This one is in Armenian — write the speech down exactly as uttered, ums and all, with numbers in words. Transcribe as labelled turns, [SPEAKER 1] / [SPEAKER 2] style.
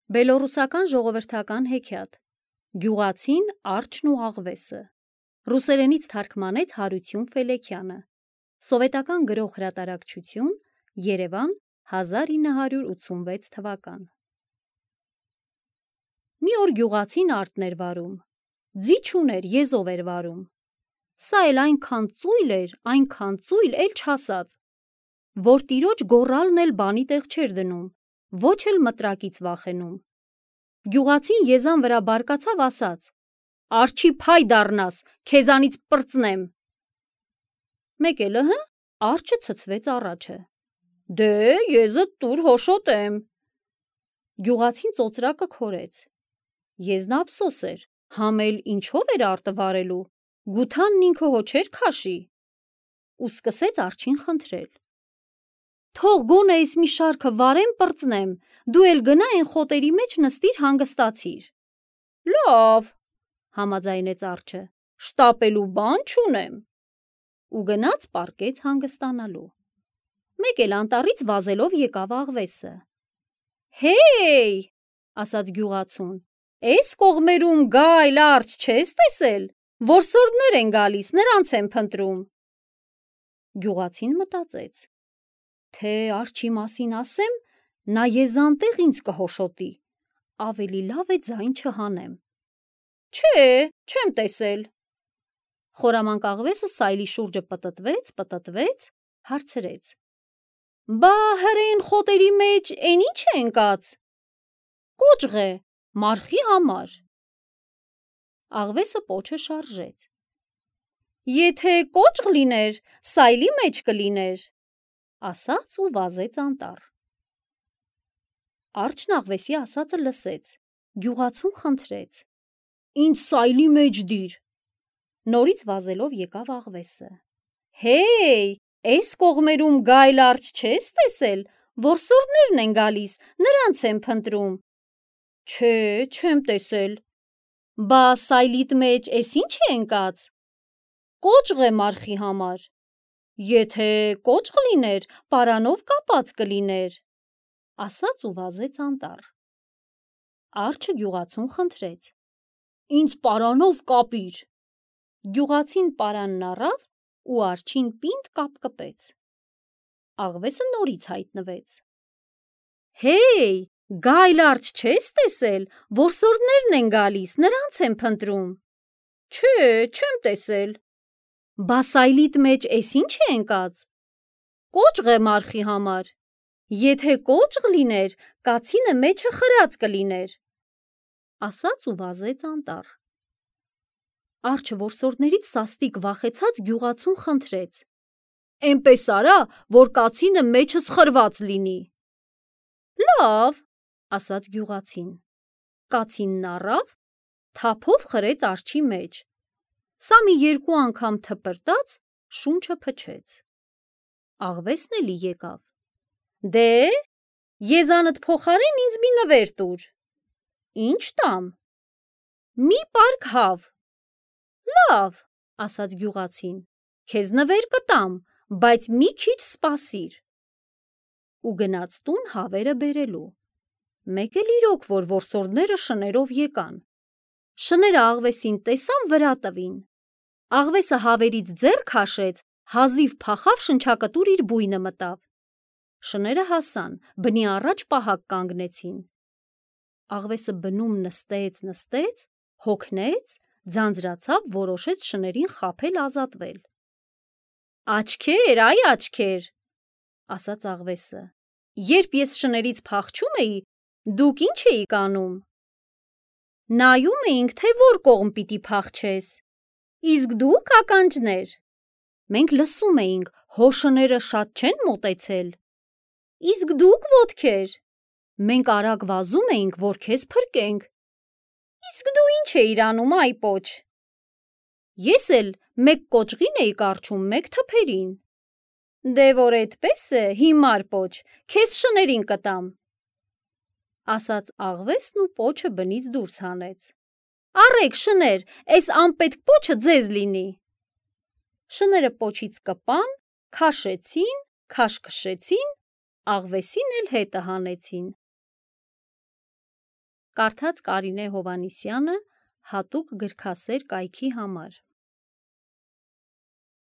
[SPEAKER 1] Բելոռուսական ժողովրդական հեքիաթ Գյուղացին, արջն ու աղվեսը Ռուսերենից թարգմանեց Հարություն Ֆելեքյանը Սովետական գրող հրատարակչություն Երևան հազար ինը հարյուր ութսունվեց թվական Մի օր գյուղացին արտն էր վարում, ձի չուներ, եզով էր վարում, սա էլ այնքան ծույլ էր, այնքան ծույլ, էլ չասած, որ տիրոջ գոռալն էլ բանի տեղ չէր դնում, ոչ էլ մտրակից վախենում։ Գյուղացին եզան վրա բարկացավ, ասաց. «Արջի փայ դառնաս, քեզանից պրծնեմ»։ Մեկ էլ ըհը, արջը ցցվեց առաջը. «Դե, եզդ տուր հոշոտեմ»։ Գյուղացին ծոծրակը քորեց։ Եզն ափսոս էր, համ էլ ինչով էր արտը վարելու, գութանն ինքը հո չէր քաշի։ Ու սկսեց արջին խնդրել. «Թող գոնե էս մի շարքը վարեմ, պրծնեմ, դու էլ գնա էն խոտերի մեջ նստիր, հանգստացիր»։ «Լավ», համաձայնեց արջը, «շտապելու բան չունեմ»։ Ու գնաց պառկեց հանգստանալու։ Մեկ էլ անտառից վազելով եկավ աղվեսը։ «Հեյ», ասաց գյուղացուն, «էս կողմերում գայլ արջ չես տեսել, որսորդներ են գալիս, նրանց եմ փնտրում»։ Գյուղացին մտածեց, թե արջի մասին ասեմ, նա եզանտեղ ինձ կհոշոտի, ավելի լավ է ձայն չհանեմ։ «Չէ, չեմ տեսել»։ Խորամանկ աղվեսը սայլի շուրջը պտտվեց, պտտվեց, հարցրեց. «Բա հրեն խոտերի մեջ էն ի՞նչ է ընկած»։ «Կոճղ է, մարխի համար»։ Աղվեսը պոչը շարժեց. «Եթե կոճղ լիներ, սայլի մեջ կլիներ», ասաց ու վազեց անտառ։ Արջն աղվեսի ասածը լսեց, գյուղացուն խնդրեց. «Ինձ սայլի մեջ դիր»։ Նորից վազելով եկավ աղվեսը։ «Հեյ, էս կողմերում գայլ արջ չես տեսել, որսորդներն են գալիս, նրանց եմ փնտրում»։ «Չէ, չեմ տեսել»։ «Բա սայլիդ մեջ էս ի՞նչ է ընկած»։ «Կոճղ է մարխի համար»։ «Եթե կոճղ լիներ, պարանով կապած կլիներ», ասաց ու վազեց անտառ։ Արջը գյուղացուն խնդրեց. «Ինձ պարանով կապիր»։ Գյուղացին պարանն առավ ու արջին պինդ կապկպեց։ Աղվեսը նորից հայտնվեց. «Հեյ, գայլ արջ չես տեսել, որսորդներն են գալիս, նրանց եմ փնտրում»։ «Չէ, չեմ տեսել»։ «Բա սայլիդ մեջ էս ի՞նչ է ընկած»։ «Կոճղ է մարխի համար»։ «Եթե կոճղ լիներ, կացինը մեջը խրած կլիներ», ասաց ու վազեց անտառ։ Արջը որսորդներից սաստիկ վախեցած գյուղացուն խնդրեց. «Էնպես արա, որ կացինը մեջս խրված լինի»։ «Լավ», ասաց գյուղացին։ Կացինն առավ, թափով խրեց արջի մեջ։ Սա մի երկու անգամ թպրտաց, շունչը փչեց։ Աղվեսն էլի եկավ. «Դե, եզանդ փոխարեն ինձ մի նվեր տուր»։ «Ի՞նչ տամ»։ «Մի պարկ հավ»։ «Լավ», ասաց գյուղացին, «քեզ նվեր կտամ, բայց մի քիչ սպասիր»։ Ու գնաց տուն հավերը բերելու։ Մեկ էլ իրոք, որ որսորդները շներով եկան։ Շները աղվեսին տեսան, վրա տվին։ Աղվեսը հավերից ձեռ քաշեց, հազիվ փախավ, շնչակտուր իր բույնը մտավ։ Շները հասան, բնի առաջ պահակ կանգնեցին։ Աղվեսը բնում նստեց, նստեց, հոգնեց, ձանձրացավ, որոշեց շներին խաբել, ազատվել։ «Աչքեր, այ աչքեր», ասաց աղվեսը, «երբ ես շներից փախչում էի, դուք ի՞նչ էիք անում»։ «Նայում էինք, թե որ կողմ պիտի փախչես»։ «Իսկ դուք, ականջներ»։ «Մենք լսում էինք, հո շները շատ չեն մոտեցել»։ «Իսկ դուք, ոտքեր»։ «Մենք արագ վազում էինք, որ քեզ փրկենք»։ «Իսկ դու ի՞նչ էիր անում, այ պոչ»։ «Ես էլ մեկ կոճղին էի կառչում, մեկ թփերին»։ «Դե որ էդպես է, հիմար պոչ, քեզ շներին կտամ», ասաց աղվեսն ու պոչը բնից դուրս հանեց։ «Առեք, շներ, էս անպետք պոչը ձեզ լինի»։ Շները պոչից կպան, քաշեցին, քաշքշեցին, աղվեսին էլ հետը հանեցին։ Կարդաց Կարինե Հովհաննիսյանը հատուկ գրքասեր կայքի համար։